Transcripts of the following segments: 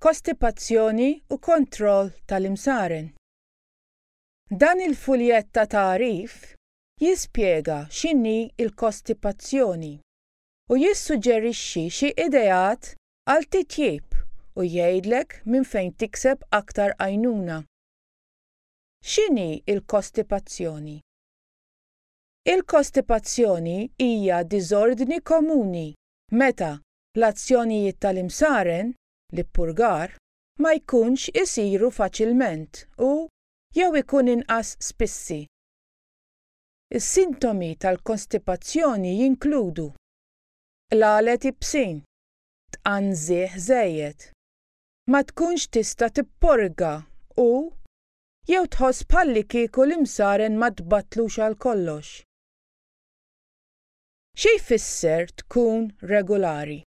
Kostipazzjoni u kontroll tal-imsaren. Dan il-fuljett ta' tagħrif jispjega x'inhi l-kostipazzjoni u jissuġġerixxi xi ideat għal titjib u jgħidlek minn fejn tikseb aktar għajnuna. X'inhi l-kostipazzjoni? Il-kostipazzjoni hija diżordni komuni meta l-azzjonijiet tal-imsaren, l-ippurgar, ma jkunx isiru faċilment u jew ikun inqas spissi. Is-sintomi tal-kostipazzjoni jinkludu qlalet ibsin, tqanżih żejjed, ma tkunx tista' tipporga u jew tħoss bħallikieku l-imsaren ma tbattlux għal kollox. Xi jfisser tkun regulari?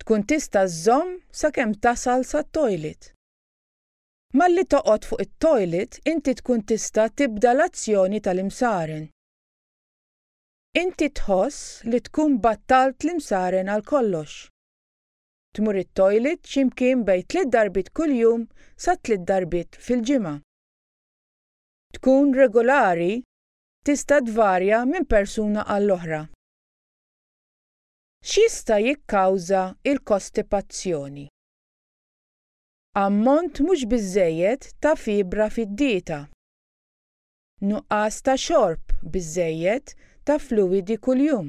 Tkun tista' żżomm sakemm tasal sat-toilet. Malli toqgħod fuq it-toilet inti tkun tista' tibda l-azzjoni tal-imsaren. Inti tħoss li tkun battalt l-imsaren għal kollox. Tmur it-toilet xi mkien bejn tliet darbiet kuljum sa tliet darbiet fil-ġimgħa. Tkun regolari tista' tvarja minn persuna għall-oħra. X'jista' jikkawża l-kostipazzjoni? Ammont mhux biżżejjed ta' fibra fid-dieta. Nuqqas ta' xorb biżżejjed ta' fluwidi kuljum.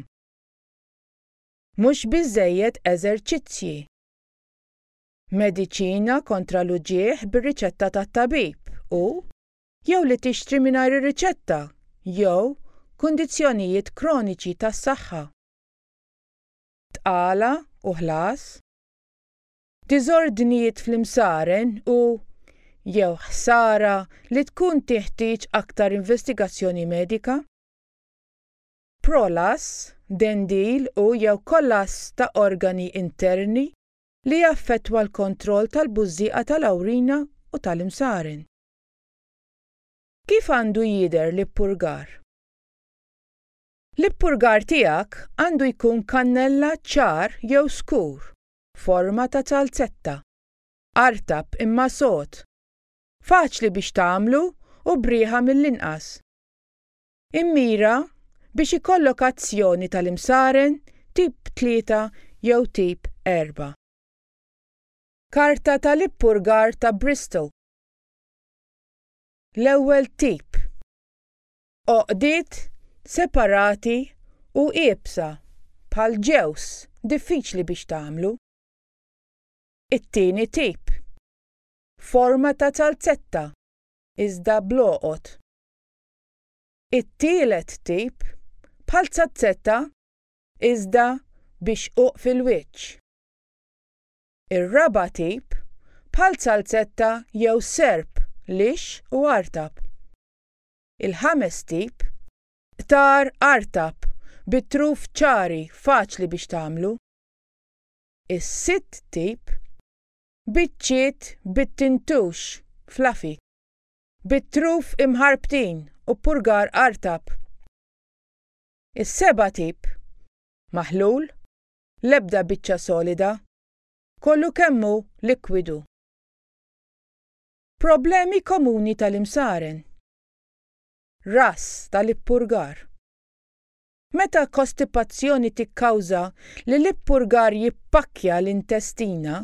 Mhux biżżejjed eżerċizzji. Mediċina kontra l-uġigħ bir-riċetta tat-tabib u jew li tixtri mingħajr ir-riċetta jew kundizzjonijiet kroniċi tas-saħħa, tqala u ħlas, diżordnijiet fl-imsaren u, jew ħsara li tkun tinħtieġ aktar investigazzjoni medika, prolass, dendil u jew kollass ta' organi interni li jaffettwa l-kontroll tal-bużżieqa tal-awrina u tal-imsaren. Kif għandu jidher l-ippurgar? L-ippurgar tiegħek għandu jkun kannella ċar jew skur, forma ta' zalzetta, artab imma sod, faċli biex tagħmlu u b'riħa mill-inqas. Immira biex ikollok azzjoni tal-imsaren tip 3 jew tip 4. Karta tal-ippurgar ta' Bristol. L-ewwel tip. Għoqdiet separati u iebsa bħal ġewż diffiċli biex tagħmlu. It-tieni tip. Forma ta' zalzetta iżda bl-għoqod. It-tielet tip bħal zazzetta iżda bi xquq fil-wiċċ. Ir-raba' tip, bħal zalzetta jew serp lixx u artab. Il-ħames tip, qtar artab bi truf ċari faċli biex tagħmlu. Is-sitt tip, biċċiet bit-tintux, fluffy, bit-truf imħarbtin u purgar artab. Is-seba' tip, maħlul, l-ebda biċċa solida, kollu kemm hu likwidu. Problemi komuni tal-imsaren. Ras tal-ippurgar. Meta kostipazzjoni tikkawża li l-ippurgar jippakkja l-intestina,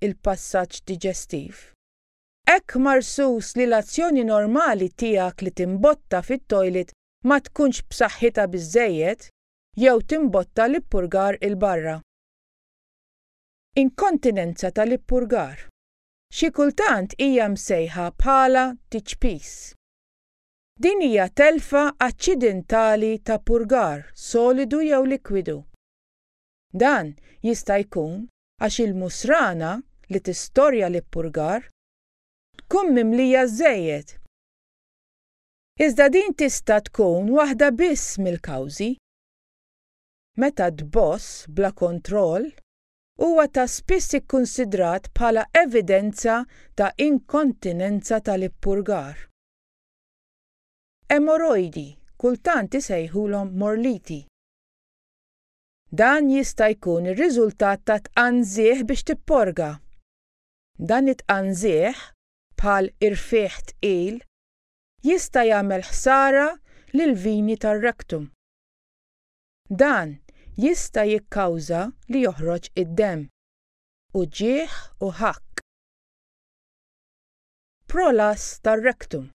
il-passaġġ diġestiv, hekk marsus li l-azzjoni normali tiegħek li timbotta fit-toilet ma tkunx b'saħħitha biżżejjed jew timbotta l-ippurgar 'il barra. Inkontinenza tal-ippurgar. Xi kultant hija msejħa bħala tiċpis. Din hija telfa aċċidentali ta' purgar solidu jew likwidu. Dan jista' jkun għax il-musrana li tistorja l-ippurgar tkun mimlija żżejjed. Iżda din tista' tkun waħda biss mill-kawżi. Meta tboss bla kontroll huwa ta' spiss ikkunsidrat bħala evidenza ta' inkontinenza tal-ippurgar. Emorojdi kultant isejħulhom morliti. Dan jista' jkun ir-riżultat ta' tqanżih biex tipporga. Dan it-tqanżiħ, bħal irfigħ tqil, jista' jagħmel ħsara lill-vini tar-rectum. Dan jista' jikkawża li joħroġ id-demm, uġigħ u ħakk. Prolass tar-rectum.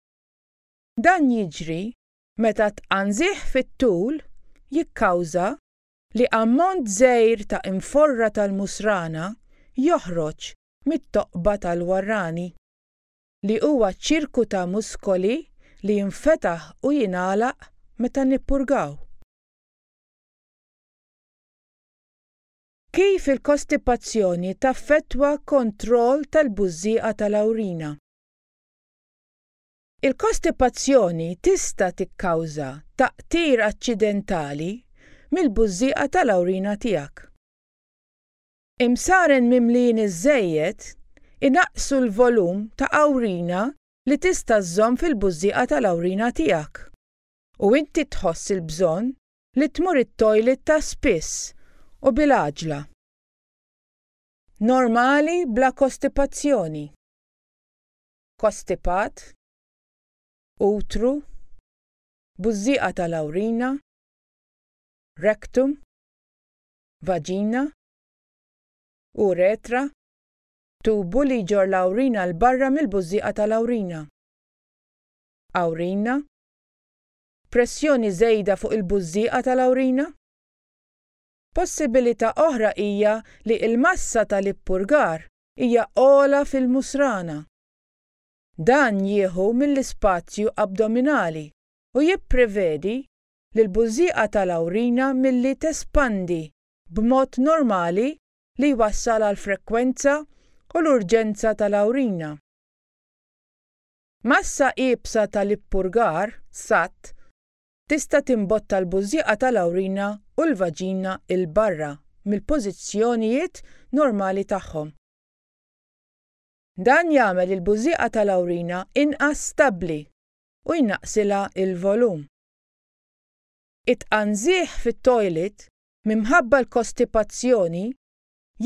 Dan jiġri meta tqanżiħ fit-tul jikkawża li ammont żgħir ta' inforra tal-musrana joħroġ mit-toqba tal-warrani, li huwa ċirku ta' muskoli li jinfetaħ u jingħalaq meta nippurgaw. Kif il-kostipazzjoni taffettwa kontroll tal-bużżieqa tal-awrina. Il-kostipazzjoni tista' tikkawża taqtir aċċidentali mill-bużżieqa tal-awrina tiegħek. Imsaren mimlijin iżżejjed inaqqsu l-volum ta' awrina li tista' żżomm fil-bużżieqa tal-awrina tiegħek u inti tħoss il-bżonn li tmur it-toilet ta' spiss u bil-għaġla. Normali bla kostipazzjoni. Kostipat, utru, bużżieqa tal-awrina, rectum, vaġina, uretra, tubu li jġorr l-awrina 'l barra mill-bużżieqa tal-awrina, awrina, pressjoni żejda fuq il-bużżieqa tal-awrina. Possibilità oħra hija li l-massa tal-ippurgar hija ogħla fil-musrana. Dan jieħu mill-ispazju abdominali u jipprevedi lill-bużżieqa tal-awrina milli tespandi b'mod normali li jwassal għall-frekwenza u l-urġenza tal-awrina. Massa iebsa tal-ippurgar, sat, tista' timbotta l-bużżieqa tal-awrina u l-vaġina 'l barra mill-pożizzjonijiet normali tagħhom. Dan jagħmel il-bużżieqa tal-awrina inqas stabbli u jnaqqsilha l-volum. It-tqanżiħ fit-toilet minħabba l-kostipazzjoni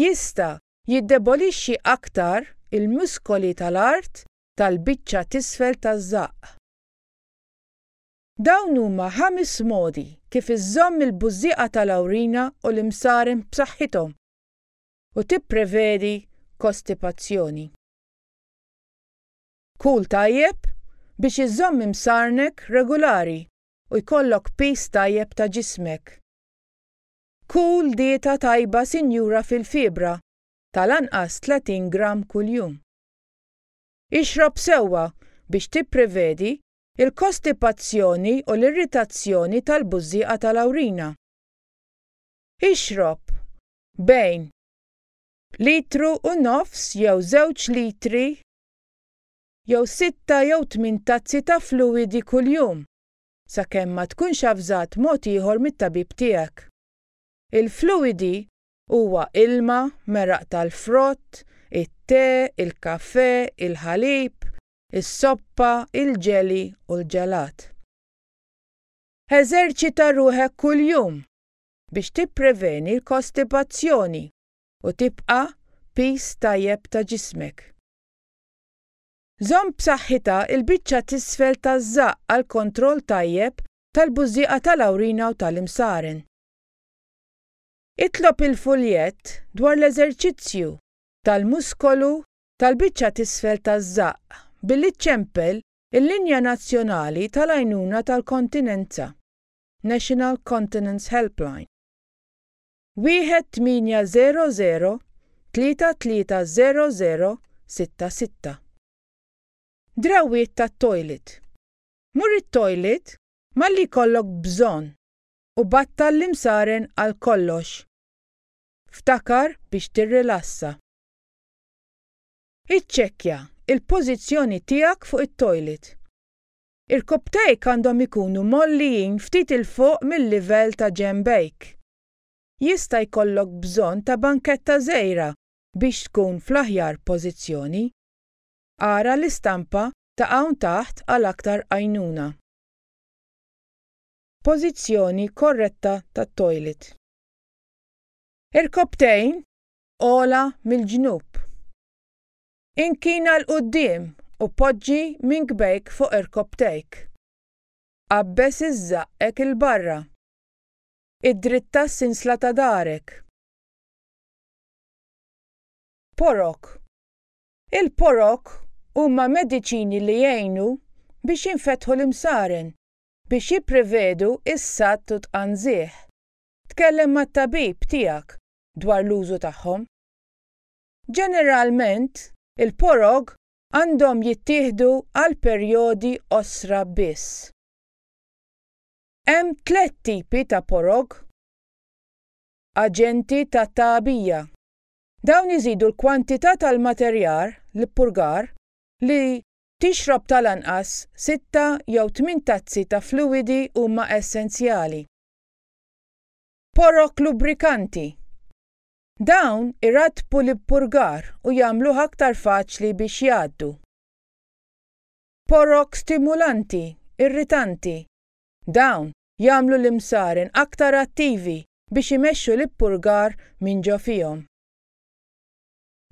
jista' jiddebolixxi aktar il-muskoli tal-art tal-biċċa t'isfel taż-żaqq. Dawn huma ħames modi kif iżżomm il-bużżieqa tal-awrina u l-imsaren b'saħħithom u tipprevedi kostipazzjoni. Kul tajjeb biex iżżomm imsarnek regulari u jkollok piż tajjeb ta' ġismek. Kul dieta tajba sinjura fil-fibra, tal-anqas 30 gramm kuljum. Ixrob sewwa biex tipprevedi l-kostipazzjoni u l-irritazzjoni tal-bużżieqa tal-awrina. Ixrob bejn litru u nofs jew żewġ litri jew sitta jew tmien tazzi ta' fluwidi kuljum, sakemm ma tkunx avżat mod ieħor mit-tabib tiegħek. Il-fluwidi huwa ilma, meraq tal-frott, it-te, il-kafè, il-ħalib, is-soppa, il-ġeli u l-ġelat. Eżerċita ruħek kuljum biex tippreveni l-kostipazzjoni u tibqa' piż tajjeb ta' ġismek. Żomm b'saħħitha l-biċċa t'isfel taż-żaqq għal kontroll tajjeb tal-bużżieqa tal-awrina u tal-imsaren. Itlob il-fuljett dwar l-eżerċizzju tal-muskolu tal-biċċa t'isfel taż-żaqq billi ċċempel il-Linja Nazzjonali tal-Għajnuna tal-Kontinenza. National Continence Helpline. 1800 3300 66. Drawwiet tat-toilet. Mur it-toilet malli jkollok bżonn u battal l-imsaren għal kollox. Ftakar biex tirrilassa. Iċċekkja l-pożizzjoni tiegħek fuq it-toilet. Irkopptejk għandhom ikunu mgħollijin ftit 'il fuq mil-livell ta' ġenbejk. Jista' jkollok bżonn ta' banketta żgħira biex tkun fl-aħjar pożizzjoni. Ara l-istampa ta' hawn taħt għal aktar għajnuna. Pożizzjoni korretta tat-toilet. Irkopptejn ogħla mill-ġnub. Inkina 'l quddiem u poġġi minkbejk fuq irkopptejk. Qabbeż iż-żaqqek 'il barra. Iddritta s-sinsla ta' darek. Porok. Il-porok huma mediċini li jgħinu biex jinfetħu l-imsaren biex jipprevedu s-sadd u t-tqanżiħ. Tkellem mat-tabib tiegħek dwar l-użu tagħhom. Ġeneralment, il-porog għandhom jittieħdu għal perjodi qosra biss. Hemm tlett tipi ta' porog. Aġenti ta' tagħbija. Dawn iżidu l-kwantità tal-materjar, l-ippurgar, li tixrob tal-anqas sitta jew tmien tazzi ta' fluwidi huma essenzjali. Porok lubrikanti. Dawn irattbu l-ippurgar u jagħmluh aktar faċli biex jgħaddu. Porok stimulanti, irritanti. Dawn jagħmlu l-imsaren aktar attivi biex imexxu l-ippurgar minn ġo fihom.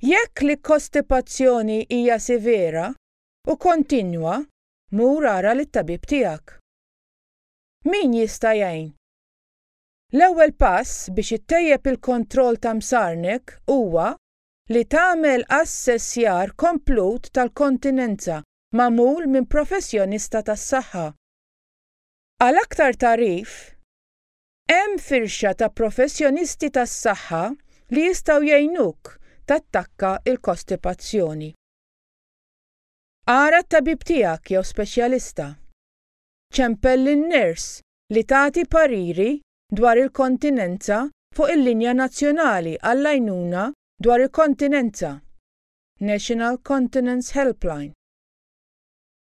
Jekk l-kostipazzjoni hija severa u kontinwa, mur ara lit-tabib tiegħek. Min jista' jgħin? L-ewwel pass biex ittejjeb il-kontroll ta' msarnek huwa li tagħmel assessjar komplut tal-kontinenza magħmul minn professjonista tas-saħħa. Għal aktar tagħrif, Hemm firxa ta' professjonisti tas-saħħa li jistgħu jgħinuk tattakka l-kostipazzjoni. Ara t-tabib tiegħek jew speċjalista. Ċempel lin-ners li tagħti pariri dwar il-kontinenza fuq il-Linja Nazzjonali għall-Għajnuna dwar il-Kontinenza, National Continence Helpline.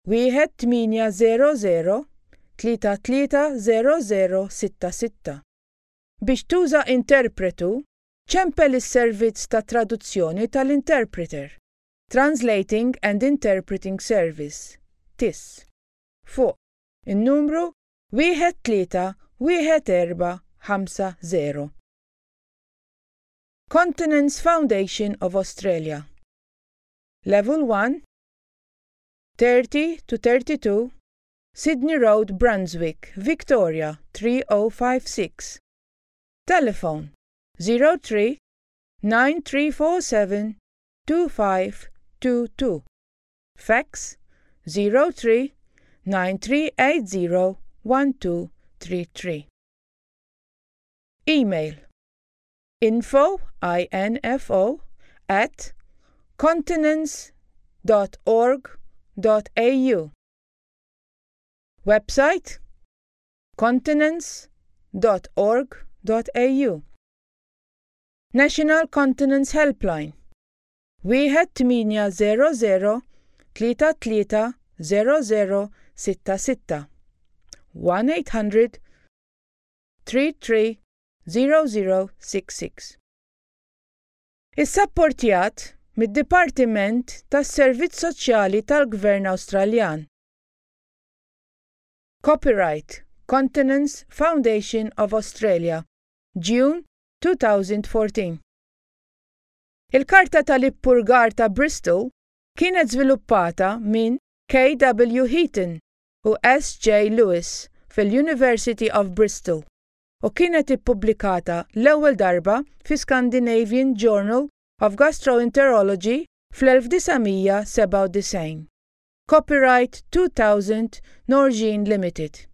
1800 33 0066. Biex tuża interpretu, ċempel is-servizz ta' traduzzjoni tal-interpreter, Translating and Interpreting Service, TIS, fuq in-numru 131450. Continence Foundation of Australia Level 1 30 to 32 Sydney Road, Brunswick, Victoria 3056. Telephone 03 9347 2522. Fax 03 9380 1233. Email info info at continence.org.au Website continence.org.au National Continence Helpline 1800 33 0066 1800 33 0066. Issapportjat mid-Dipartiment tas-Servizz Soċjali tal-Gvern Awstraljan. Copyright Continence Foundation of Australia, June 2014. Il-Karta tal-Ippurgar ta' Bristol kienet żviluppata minn K.W. Heaton u S.J. Lewis fil-University of Bristol u kienet ippubblikata l-ewwel darba fi Scandinavian Journal of Gastroenterology fl-1997. Copyright 2000 Norgine Limited.